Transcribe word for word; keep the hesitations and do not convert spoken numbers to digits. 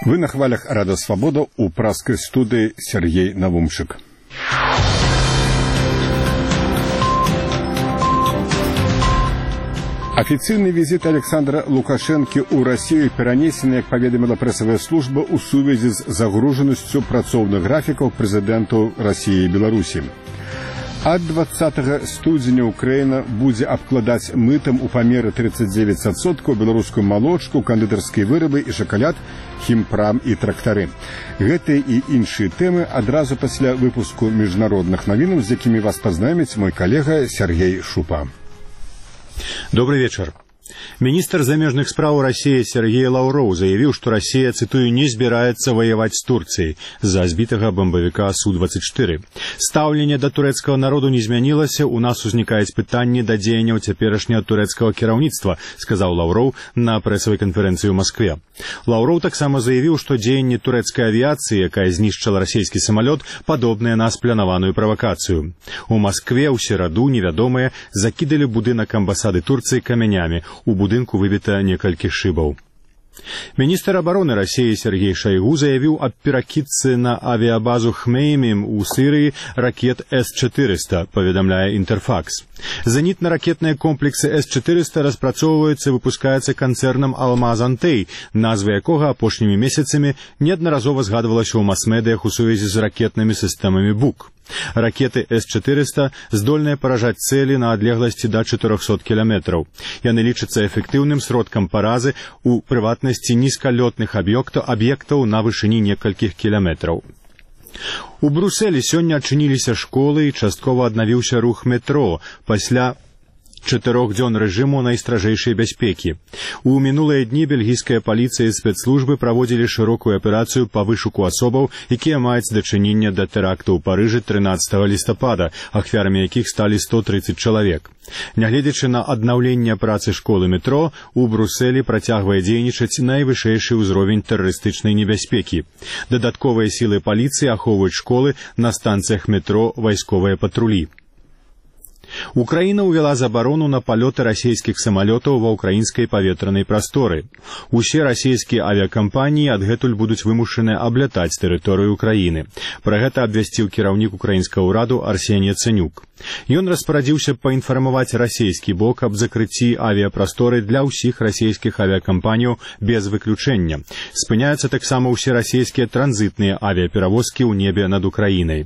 Вы на хвалях «Радио Свобода» у пражской студии Сергей Навумчик. Официальный визит Александра Лукашенко у России перенесен, как поведомила прессовая служба, у связи с загруженностью працовных графиков президенту России и Беларуси. Ад двадцатага студзеня Украина будзе абкладаць мытам у памеры тридцать девять адсоткаў беларускую малочку, кандытарскія вырабы і шакалад, хімпрам і трактары. Гэтыя і іншыя тэмы адразу пасля выпуску міжнародных навінаў, з якімі вас пазнаёміць мой калега Сергей Шупа. Добрый вечер. Министр замежных справ России Сергей Лавров заявил, что Россия, цитую, не збираецца воевать с Турцией за збитого бомбовика Су двадцать четыре. Стаўленне до турецкого народу не змянілася, у нас узникает пытанне до дзеянняў цяперашняга турецкого кіраўніцтва, сказал Лавров на прессовой конференции в Москве. Лавров таксама заявил, что дзеянне турецкой авиации, якая знішчыла российский самолет, подобное на спланаваную провокацию. У Москве у сераду невядомые закидали будынак амбасады Турции камянями. У будынку выбіта некалькі шыбаў. Министр обороны России Сергей Шойгу заявил о перакидцы на авиабазу Хмеймим у Сирии ракет С четыреста, поведомляя Интерфакс. Зенитно-ракетные комплексы С четыреста распрацоўваюцца и выпускаются концерном Алмаз Антей, назвы якога апошнімі месяцамі неаднаразова згадывалася ў мас-медыях у сувязі з ракетнымі сістэмамі БУК. Ракеты С четыреста здольныя паражаць цэлі на адлегласці да чатырохсот кіламетраў. Яны лічацца эфектыўным сродкам паразы у прыватнасці нізкалётных аб'ектаў аб'ектаў на вышыні некалькіх кіламетраў. У Брусэлі сёння адчыніліся школы і часткова аднавіўся рух метро пасля чатырох дзён рэжыму найстражэйшай бяспекі. У мінулыя дні бельгійская паліцыя і спецслужбы праводзілі шырокую аперацыю па вышуку асобаў, якія маюць дачыненне да тэракту ў Парыжы трынаццатага лістапада, ахвярамі якіх сталі сто тридцать чалавек. Нягледзячы на аднаўленне працы школы метро, у Брусэлі працягвае дзейнічаць найвышэйшы ўзровень тэрарыстычнай небяспекі. Дадатковыя сілы паліцыі ахоўваюць школы, на станцыях метро вайсковыя патрулі. Украина увела заборону на полеты российских самолетов ва украинской паветранай прасторы. Усе российские авиакомпании адгэтуль будуць вымушаныя аблятаць тэрыторыю Украины. Пра гэта абвясціў кіраўнік украінскага ўраду Арсеній Яцэнюк. Ён распарадзіўся паінфармаваць расійскі бок аб закрыцці авіапрасторы для ўсіх расійскіх авиакомпанияў без выключэння. Спыняюцца таксама ўсе расійскія транзітныя авіаперавозкі ў небе над Украінай.